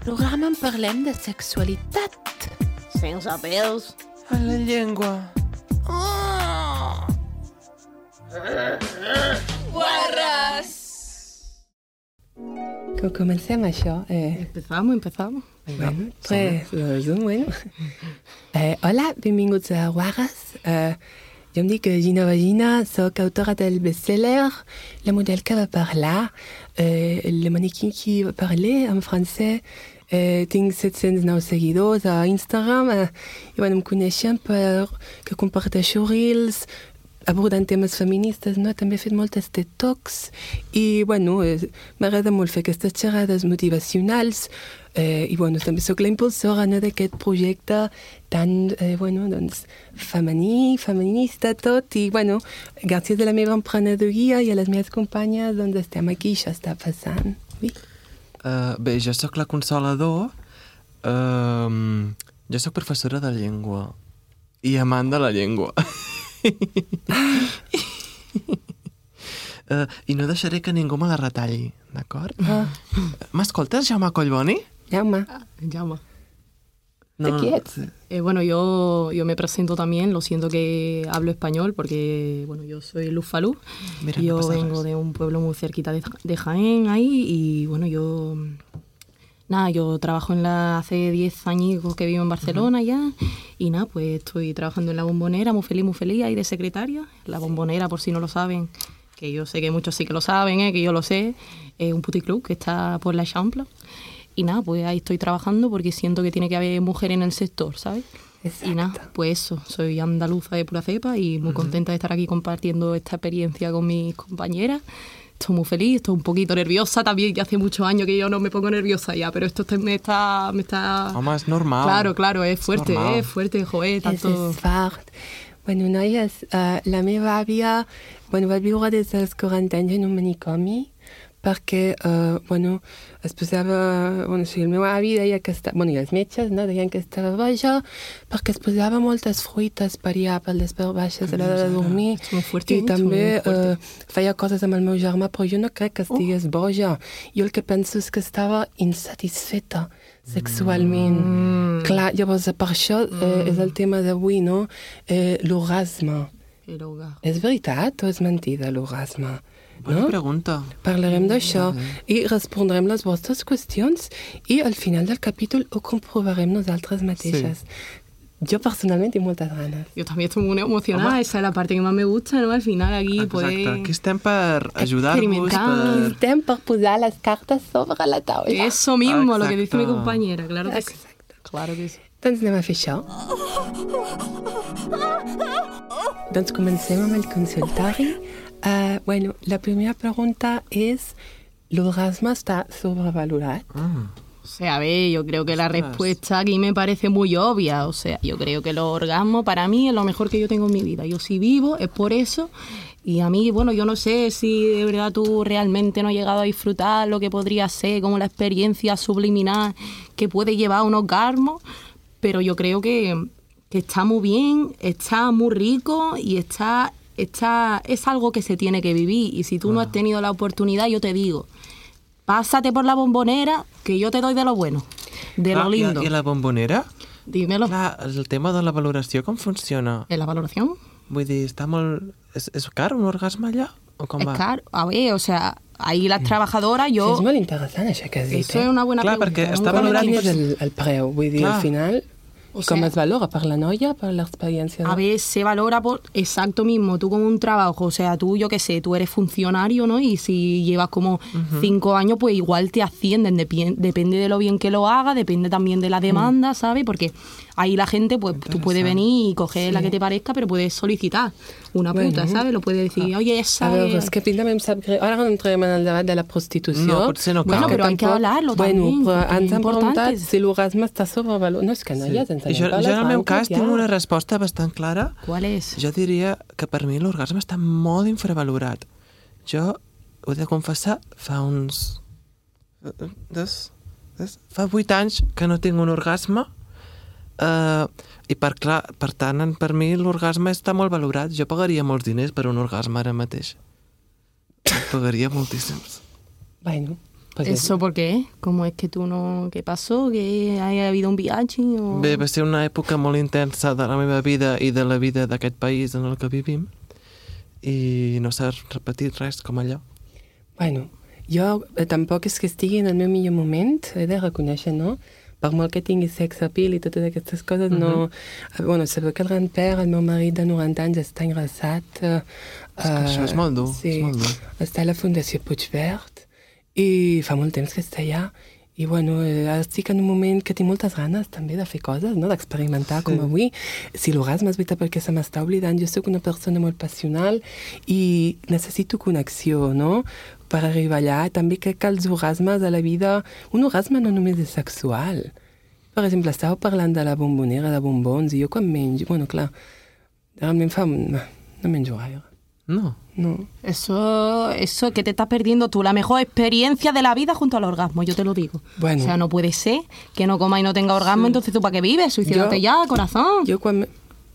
programa en parlem de sexualitat. Sense pèls. A la llengua. Guarres! Que comencem això. Empezamos. Bueno, pues, bueno. Hola, benvinguts a Guarres. Jo em dic Gina Vagina, soc autora del bestseller La model que va parlar, le maniquí qui va parler en francès. Tinc 709 seguidors a Instagram i bueno, em coneixen perquè comparteixo reels abordant temes feministes, no? També he fet moltes TED Talks i bueno, m'agrada molt fer aquestes xerrades motivacionals i bueno, també soc la impulsora, no, d'aquest projecte tan bueno, doncs, femení, feminista tot i bueno, gràcies a la meva emprenedoria i a les meves companyes doncs estem aquí, això està passant. Oui. Bé, jo sóc la Consolador, jo sóc professora de llengua i amant de la llengua. I no deixaré que ningú me la retalli, d'acord? M'escoltes, Jaume Collboni? Jaume. Llama. ¿De quién? Bueno, yo me presento también, lo siento que hablo español porque, bueno, yo soy Luz Falú. Mira, yo no vengo de un pueblo muy cerquita de Jaén ahí y, bueno, yo trabajo hace 10 años que vivo en Barcelona ya y nada, pues estoy trabajando en La Bombonera, muy feliz ahí de secretaria. La Bombonera, por si no lo saben, que yo sé que muchos sí que lo saben, que yo lo sé, es un puticlub que está por la Eixample. Y nada, pues ahí estoy trabajando porque siento que tiene que haber mujeres en el sector, ¿sabes? Exacto. Y nada, pues eso, soy andaluza de pura cepa y muy contenta de estar aquí compartiendo esta experiencia con mis compañeras. Estoy muy feliz, estoy un poquito nerviosa también, que hace muchos años que yo no me pongo nerviosa ya, pero esto me está... Home, és normal. Claro, es fuerte, joder, tanto... És fort. Bueno, noies, la meva àvia va viure des dels 40 anys en un manicomi perquè, es posava... el meu avi deia que estava... i els metges, no, deien que estava boja perquè es posava moltes fruites per allà, per les parts baixes a l'hora de dormir. I també feia coses amb el meu germà, però jo no crec que estigués boja. Jo el que penso és que estava insatisfeta sexualment. Clar, llavors, per això és el tema d'avui, no? L'orgasme. És veritat o és mentida, l'orgasme? Bona pregunta. Parlarem d'això i respondrem les vostres qüestions i al final del capítol ho comprovarem nosaltres mateixes. Sí. Yo personalmente tengo muchas ganas. Yo también estoy muy emocionada, esa es la parte que más me gusta, ¿no? Al final aquí Exacte. Aquí estem per ajudar-vos, estem per posar les cartes sobre la taula. Eso mismo, lo que dice mi compañera, claro que sí. Claro que sí. Doncs anem a fer això. Doncs comencem amb el consultori. La primera pregunta es, ¿l'orgasme está sobrevalorat? O sea, a ver, yo creo que la respuesta aquí me parece muy obvia. O sea, yo creo que los orgasmos para mí es lo mejor que yo tengo en mi vida. Yo si vivo es por eso. Y a mí, bueno, yo no sé si de verdad tú realmente no has llegado a disfrutar lo que podría ser, como la experiencia subliminal que puede llevar a un orgasmo, pero yo creo que está muy bien, está muy rico y es algo que se tiene que vivir. Y si tú no has tenido la oportunidad, yo te digo, pásate por La Bombonera, que yo te doy de lo bueno, de lo lindo. I la Bombonera? Dímelo. El tema de la valoració, com funciona? ¿En la valoración? Vull dir, està molt... És car un orgasme allà? O com va? Es caro. A ver, o sea, ahí las trabajadoras, yo... És molt interessant, això que has dit. Eso es una buena pregunta. Clar, perquè està valorat... Quin és el preu? Vull dir, al final... O ¿Cómo sea, es valora? ¿Para la noia? ¿Para la experiencia? A ver, se valora por exacto mismo, tú con un trabajo, o sea, tú, yo qué sé, tú eres funcionario, ¿no? Y si llevas como 5 años, pues igual te ascienden, depende de lo bien que lo hagas, depende también de la demanda, ¿sabes? Porque ahí la gente, pues tú puedes venir y coger la que te parezca, pero puedes solicitar una puta, ¿sabes? Lo puedes decir, oye, esa... A veure, és que també em sap greu. Ara no entrem en el debat de la prostitució. No, potser no cal. Bueno, pero hay que hablarlo también. Bueno, però ens han importante. preguntat si l'orgasme està sobrevalorat. No, és que no hi ha sense Jo en el meu cas tinc una resposta bastant clara. ¿Cuál es? Jo diria que per mi l'orgasme està molt infravalorat. Jo ho he de confessar, fa 8 anys que no tinc un orgasme i per tant, per mi l'orgasme està molt valorat. Jo pagaria molts diners per un orgasme ara mateix. Pagaria moltíssims. Bueno, Pues ¿Eso por qué? ¿Cómo es que tú no... ¿Qué pasó? ¿Que haya habido un viatge? O... Bé, va ser una època molt intensa de la meva vida i de la vida d'aquest país en el que vivim i no s'ha repetit res com allò. Bueno, jo tampoc és que estigui en el meu millor moment, he de reconèixer, no? Per molt que tingui sex appeal i totes aquestes coses, no... Bueno, sabeu que el grand-père, el meu marit de 90 anys, està ingressat. Això és molt dur, sí, és molt dur. Està a la Fundació Puigverd i fa molt temps que està allà. I bueno, estic en un moment que tinc moltes ganes també de fer coses, no? D'experimentar com avui. Si l'orgasme és veritat perquè se m'està oblidant, jo soc una persona molt passional i necessito connexió, no? Per arribar allà. També crec que els orgasmes a la vida... Un orgasme no només és sexual. Per exemple, estàveu parlant de la bombonera de bombons i jo quan menjo... Bueno, clar, realment no menjo gaire. No. No. Eso que te estás perdiendo tú, la mejor experiencia de la vida junto al orgasmo, yo te lo digo. Bueno. O sea, no puede ser que no coma y no tenga orgasmo, entonces ¿tú para qué vives? Suicídate ya, corazón. Jo quan...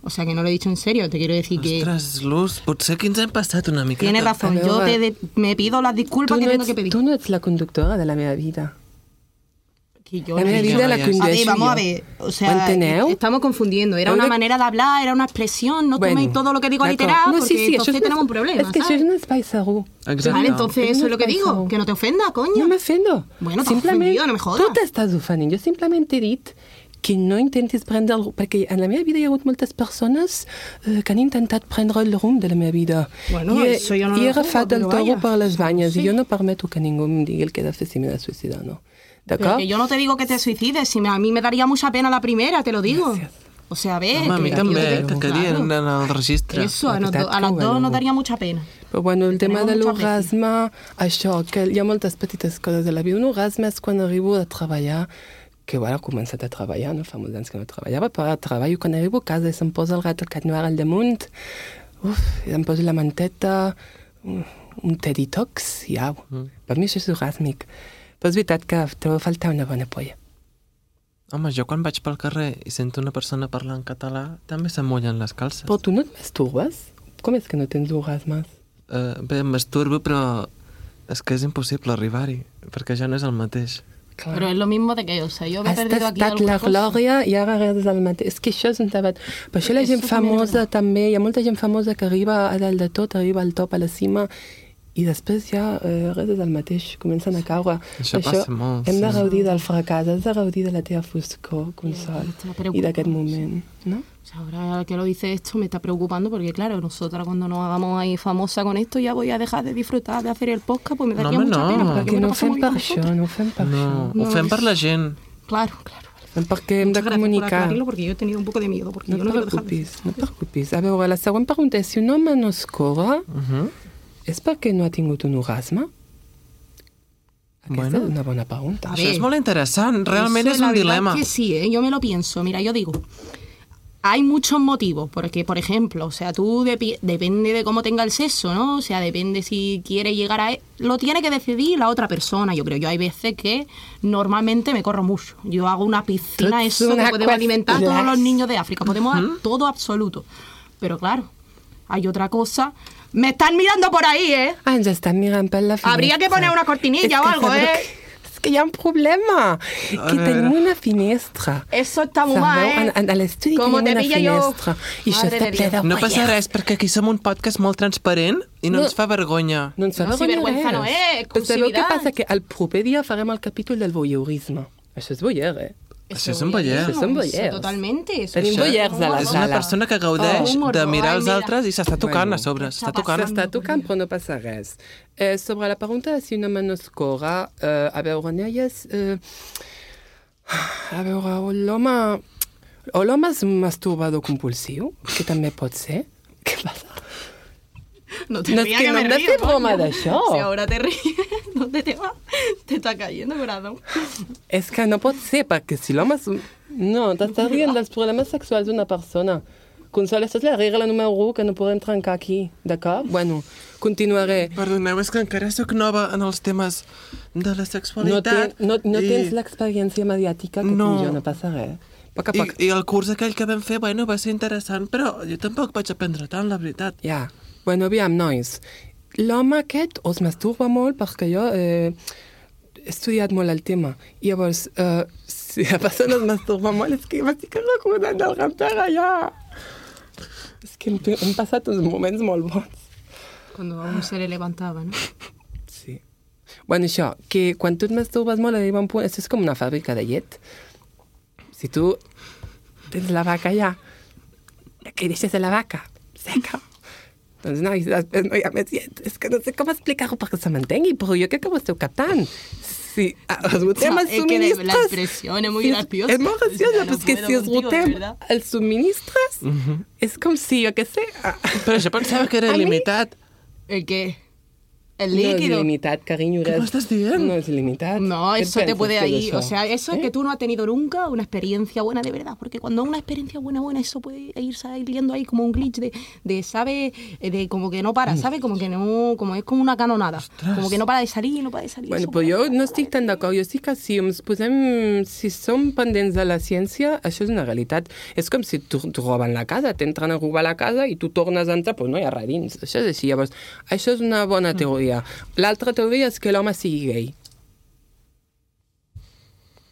O sea, que no lo he dicho en serio, te quiero decir que... Ostres, Luz, potser que ens hem passat una miqueta. Tienes razón, A yo veure, me pido las disculpas que tengo que pedir. Tu no ets la conductora de la meva vida. Que yo La meva no- vida la A ver, A ver, condueixo vamos jo. a ver, o Ho sea, enteneu? estamos confundiendo. Era una manera de hablar, era una expresión, no Bueno, toméis todo lo que digo d'acord. literal, No, porque això entonces és tenemos un problema, És que això ¿sabes? és un espai segur. Exacte. Vale, entonces eso es lo que No digo, pasa. que no te ofenda, coño. No m'ofendo. Bueno, t'has ofendido, no me jodas. Tu t'estàs ofendent. Jo simplement he dit que no intentis prendre el... Perquè en la meva vida hi ha hagut moltes persones que han intentat prendre el rumb de la meva vida. Bueno, eso yo no I he lo juzgo, agafat el però toro vaya. per les banyes Sí. i jo no permeto que ningú em digui el que he de fer si m'he de suïcidar, no. Pero D'acord? que yo no te digo que te suicides, si a mí me daría mucha pena la primera, te lo digo. Gracias. O sea, a ver, Home, a mi que també, yo te- que quedi en el registre. Eso, a, La nos veritat a que las ho dos veu. nos daría mucha pena. Però bueno, el tema de Tenemos muchas veces. l'orgasme, això, que hi ha moltes petites coses de la vida. Un orgasme és quan arribo a treballar, que bueno, he començat a treballar, no? Fa molts anys que no treballava, però treballo quan arribo a casa i se'm posa el gat al cat noir al damunt, em poso la manteta, un té detox i au. Per mi això és orgàsmic. Però és veritat que trobo a faltar una bona polla. Home, jo quan vaig pel carrer i sento una persona parlar en català, també se'm mullen les calces. Però tu no et masturbes? Com és que no tens orgasmes? Bé, em masturbo, però és que és impossible arribar-hi, perquè ja no és el mateix. Clar. Pero es lo mismo de que, o sea, yo me he Has perdido aquí tastat alguna la cosa. glòria i ara redes el mateix. És que això és un debat. Per això la gent Eso també és famosa també, hi ha molta gent famosa que arriba a dalt de tot, arriba al top, a la cima, i després ja res és el mateix, comencen a caure. Això passa molt, Hem de sí. gaudir del fracàs, has de gaudir de la teva foscor, Consol, Està preocupant, i d'aquest moment, no? O sea, ahora que lo dice esto me está preocupando porque, claro, nosotras cuando nos hagamos ahí famosa con esto ya voy a dejar de disfrutar de hacer el podcast, pues me daría home, mucha no. pena. Perquè me no lo ho paso fem muy per bien això, con no ho fem per No, això. ho fem per la gent. vosotras. Claro, claro. Fem perquè hem de Muchas gracias por comunicar. aclararlo porque yo he tenido un poco de miedo porque No yo et no quiero dejar de preocupis, no et preocupis. A veure, la següent pregunta és, si un home no es corre, és perquè no ha tingut un orgasme? Aquesta Bueno. és una bona pregunta. A Això ver. és molt interessant, realment Eso, és la un verdad dilema. es que sí, ¿eh? Yo me lo pienso. Mira, yo digo, hay muchos motivos, porque, por ejemplo, o sea, tú depende de cómo tenga el sexo, ¿no? O sea, depende si quiere llegar a... Lo tiene que decidir la otra persona, yo creo. Yo hay veces que normalmente me corro mucho. Yo hago una piscina, Es eso, que una podemos alimentar a todos cuestión. los niños de África. Podemos dar todo absoluto. Pero claro, hay otra cosa... Me están mirando por ahí, ¿eh? Ah, ens estan mirant per la finestra. Habría que poner una cortinilla És o que algo, sabeu ¿eh? És que hi ha un problema, que tenim una finestra. Eso está muy mal, ¿eh? A l'estudi Com tenim te una pilla jo? finestra. I això Madre està de ple de Dios. No passa guaies. res, perquè aquí som un podcast molt transparent i no No. ens fa vergonya. No ens fa No, si vergüenza no és, Però sabeu què exclusivitat. passa? Que el proper dia farem el capítol del voyeurisme. Això és voyeur, eh? Això és un voyeur. Això són voyeurs. Totalment. Eso Tenim és voyeurs a la És una sala. persona que gaudeix Oh, de mirar ai, els mira. altres i s'està tocant Bueno. a sobre. S'està Està tocant. S'està tocant, però no passa res. Sobre la pregunta de si un home no es corre, a veure, noies... A veure, l'home... O l'home és un masturbador compulsiu, que també pot ser. Què passa? No te No, és rías que no me hem de río, fer broma coño. d'això. Si ahora te ríes, ¿dónde te vas? Te está cayendo, corazón. És que no pot ser, perquè si l'home és... No, t'estàs rient dels problemes sexuals d'una persona. Consol, això és la regla número 1 que no podem trencar aquí, d'acord? Bueno, continuaré. Perdoneu, és que encara sóc nova en els temes de la No, sexualitat. no i- tens l'experiència mediàtica que No. tinc jo, no passa res. A poc a poc. I el curs aquell que vam fer, bueno, va ser interessant, però jo tampoc vaig aprendre tant, la veritat. Ja. Bueno, aviam, nois. L'home aquest es masturba molt perquè jo... estudiat molt el tema. I llavors, si la persona es masturba molt, és que m'estic recordant del Rampera ja. És que hem passat uns moments molt bons. Cuando aún se le levantaba, ¿no? Sí. Bueno, això, que quan tu et masturbes molt, arriba un punt... Això és com una fàbrica de llet. Si tu tens la vaca allà, que deixes la vaca seca, doncs no, i després no hi ha més llet. És que no sé com explicar-ho perquè se m'entengui, però jo crec que ho esteu captant. Si els rotem els subministres... La expresión es muy graciosa. És molt graciosa, però és que si els rotem els subministres, és com si, jo què sé... Però jo pensava que era il·limitat. ¿El qué? El No és líquido. il·limitat, carinyo. ¿Qué me estás diciendo? No és il·limitat. No, Què eso te penses puede que és ir. això? O sea, eso es que tú no has tenido nunca una experiencia buena de verdad. Porque cuando una experiencia buena, eso puede ir saliendo ahí como un glitch de ¿sabe? De como que no para, ¿sabe? Como que no, como es como una canonada. Como que no para de salir, no para de salir. Bueno, Eso però puede- jo no estic tan d'acord. Jo estic que si ens posem... Si som pendents de la ciència, això és una realitat. És com si tu roben la casa, t'entren a robar la casa i tu tornes a entrar, però no hi ha res dins. Això és així. Llavors, això és una bona teoria. L'altra teoria és que l'home sigui gay.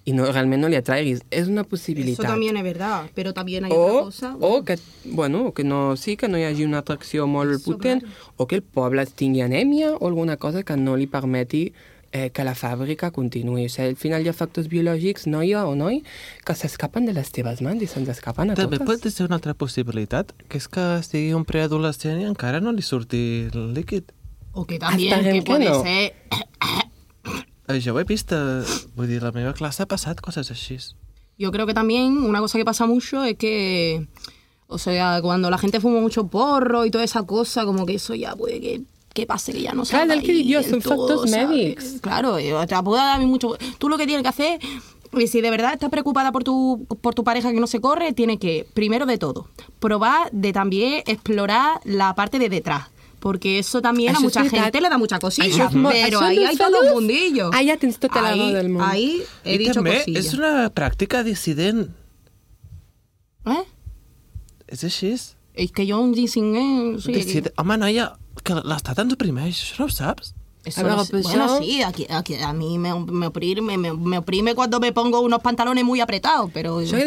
I no, realment no li atraiguis. És una Eso possibilitat. también es verdad, pero también hay otra cosa. O que, bueno, que no, sí, que no hi hagi una atracció molt Eso, potent, claro. o que el poble tingui anèmia o alguna cosa que no li permeti que la fàbrica continuï. O sigui, al final hi ha factors biològics, noia o noi, que s'escapen de les teves mans i se'ns escapen a També totes. pot ser una altra possibilitat, que és que sigui un preadolescent i encara no li surti el líquid. O que también Esperem que que puede no. ser... Jo ho he vist, vull dir, la meva classe ha passat coses així. Yo creo que también una cosa que pasa mucho es que, o sea, cuando la gente fuma mucho porro y toda esa cosa, como que eso ya puede que pase, que ya no Claro, salga el que ahí digo, del son todo, factors ¿sabes? médicos. Claro, y te puede dar mucho... Tú lo que tienes que hacer, y si de verdad estás preocupada por tu pareja que no se corre, tienes que, primero de todo, probar de también explorar la parte de detrás. Porque eso también a Això és mucha veritat. gente le da mucha cosilla. Això és molt- Pero això ahí dels hay todo un fedors, mundillo. Ah, ja tens tota la raó del món. Ahí he I dicho també cosilla. és una pràctica dissident. ¿Eh? És així. Es que yo un ginseng... Sí, Home, noia, que l'Estat ens oprimeix, això no ho saps? eso A ver, no sé. pues Bueno, yo- sí, aquí a mí me oprime cuando me pongo unos pantalones muy apretados, pero... Jo,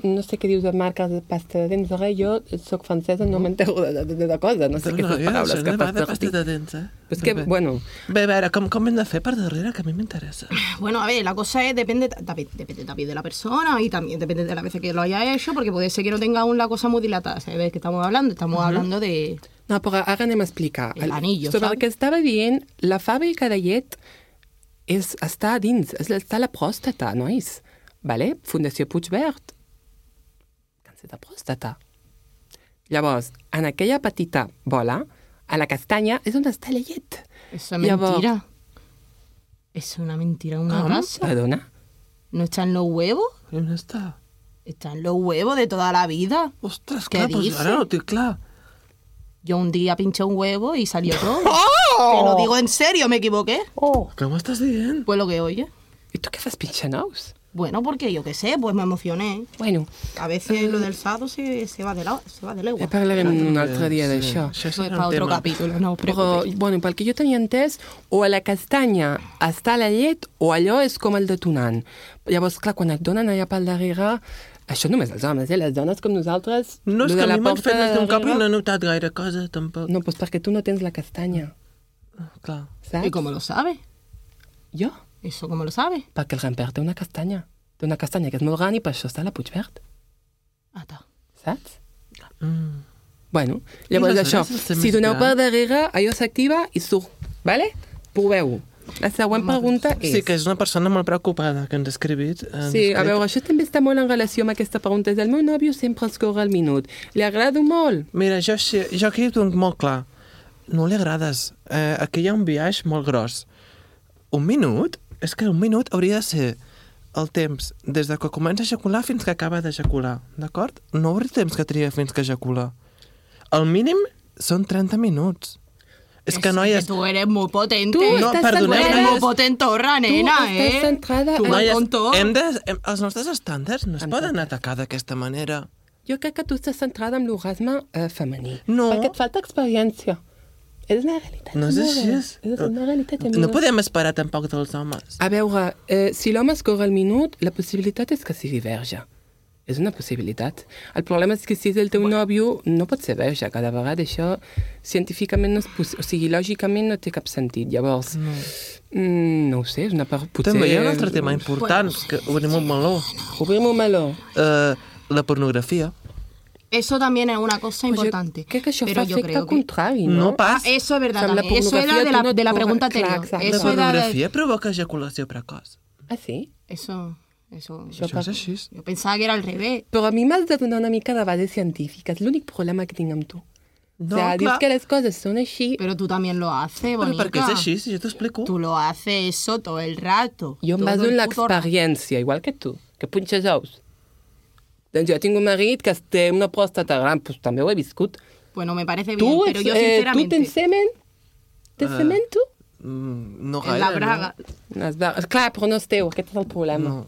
no sé què dius de marques de pasta de dents, res, jo soc francesa, no m'entero de cosa, no sé què són paraules que fas de pasta servir. de dents, eh? És que, bueno, Bé, a veure, com hem de fer per darrere, que a mi m'interessa. Bueno, a ver, la cosa es, depende también de la persona y también depende de la veces que lo haya hecho, porque puede ser que no tenga aún la cosa muy dilatada, ¿sabes? Que estamos hablando? Estamos hablando de... no, però ara anem a explicar. El anillo, sobre saps? el que estava dient, la fàbrica de llet està dins, està a la pròstata, nois. Vale? Fundació Puigverd. Càncer de pròstata. Llavors, en aquella petita bola, a la castanya, és on està la llet. Eso es Llavors- mentira. Es una mentira, una casa. Perdona? ¿No está en los huevos? I on està? Está en los huevos de toda la vida. Ostres, Què clar, doncs dices? ara no ho tinc clar. Yo un día pinché un huevo y salió todo. Te lo digo en serio, me equivoqué. Què m'estàs dient? Pues lo que oye. I tu què fas pinxant ous? Bueno, porque yo qué sé, pues me emocioné. Bueno, A veces lo del sado se va de legua. parlarem un altre dia d'això. Això Eso es serà para un otro tema. capítulo, no os Però, preocupéis. bueno, pel que jo tenia entès, o a la castanya està la llet o allò és com el detonant. Llavors, clar, quan et donen allà pel darrere, això només els homes, les dones com nosaltres... No, és lo que de a la mi m'han porta fet més de d'un cop i darrere- no he notat gaire cosa, tampoc. No, doncs perquè tu no tens la castanya, Clar. saps? ¿Y cómo lo sabes? Jo? ¿Eso cómo lo sabes? Perquè el Rampert té una castanya. Té una castanya que és molt gran i per això està a la Puigverd, Ah, está. saps? Mm. Bueno, llavors això, aleshores el si doneu més per gran- darrere, allò s'activa i surt, vale? Proveu-ho. La següent pregunta és... Sí, que és una persona molt preocupada que ens ha escrit. Sí, a veure, això també està molt en relació amb aquesta pregunta. És el meu nòvio sempre es corre al minut. Li agrado molt? Mira, jo aquí ho tinc molt clar. No li agrades. Aquí hi ha un biaix molt gros. Un minut? És que un minut hauria de ser el temps des de que comença a ejacular fins que acaba d'ejacular, d'acord? No hauria temps que triga fins que ejacula. El mínim són 30 minuts. És que, noies... Tú eres muy potente. Tú No, estàs perdoneu, Eres centrada- muy potentorra, nena, tu estàs ¿eh? centrada Tu en... vas Noies, con todo. els nostres estàndards no es poden atacar d'aquesta manera. Jo crec que tu estàs centrada en l'orgasme femení. No. Perquè et falta experiència. És una realitat. No és així. És una realitat. No podem esperar tampoc dels homes. A veure, si l'home es corre el minut, la possibilitat és que sigui verge. És una possibilitat. El problema és que si és el teu nòvio, no pot ser verge. Cada vegada això científicament no és possible. O sigui, lògicament no té cap sentit. Llavors, no ho sé, és una part... Potser... També hi ha un altre tema important, que obrim un meló. Obrim un meló. La pornografia. Eso también es una cosa importante. Crec que això Pero fa yo efecte creo que... contrari, no? No pas. Eso es verdad O sea, la también. Eso era pornografía de la tú no- pregunta Clar, anterior. exacte. La Eso era pornografia provoca ejaculació precoç. Ah, sí? Eso... Això pa- és així. Yo pensaba que era al revés. Però a mi m'has de donar una mica de base científica. És l'únic problema que tinc amb tu. No, o sea, dius clar. que les coses són així. Pero tú también lo haces, Però bonica. perquè és així, si jo t'ho explico. Tú lo haces eso todo el rato. Jo em Todo baso el en puto l'experiència, igual que tu, que punxes ous. Doncs jo tinc un marit que té una pròstata gran, doncs també ho he viscut. Bueno, me parece bien, Tu, pero yo tu sinceramente... tens semen? Tens semen, tu? No en la gaire, braga. Clar, però no és teu, aquest és el problema. No.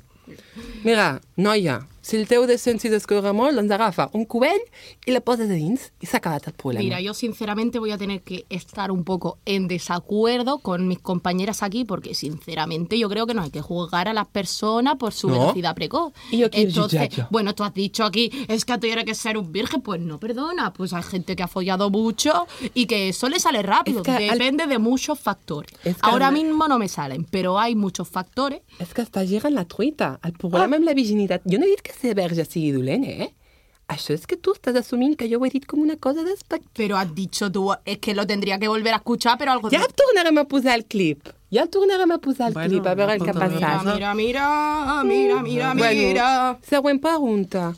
Mira, noia, si el teu descens s'hi descorre molt, doncs agafa un cubell i la poses a dins i s'ha acabat el problema. Mira, yo sinceramente voy a tener que estar un poco en desacuerdo con mis compañeras aquí porque sinceramente yo creo que no hay que juzgar a las personas por su No. velocidad precoz. ¿Y yo quién Entonces, juzgar? bueno, tú has dicho aquí, es que tiene que ser un virgen, pues no, perdona, pues hay gente que ha follado mucho y que eso le sale rápido, Es que depende de muchos factores. Es que Ahora al- mismo no me salen, pero hay muchos factores. És que estàs girant la truita. El problema amb la virginitat... Jo no he dit que ser verge sigui dolent, eh? Això és que tu estàs assumint que jo ho he dit com una cosa despectiva. Pero has dicho tú, es que lo tendría que volver a escuchar, pero algo... Ja tornarem a posar el clip. Ja el tornarem a posar el Bueno, clip, a veure el que ha apunta-lo. passat. Mira, mira, mira, mira, mira, Bueno, mira. següent pregunta.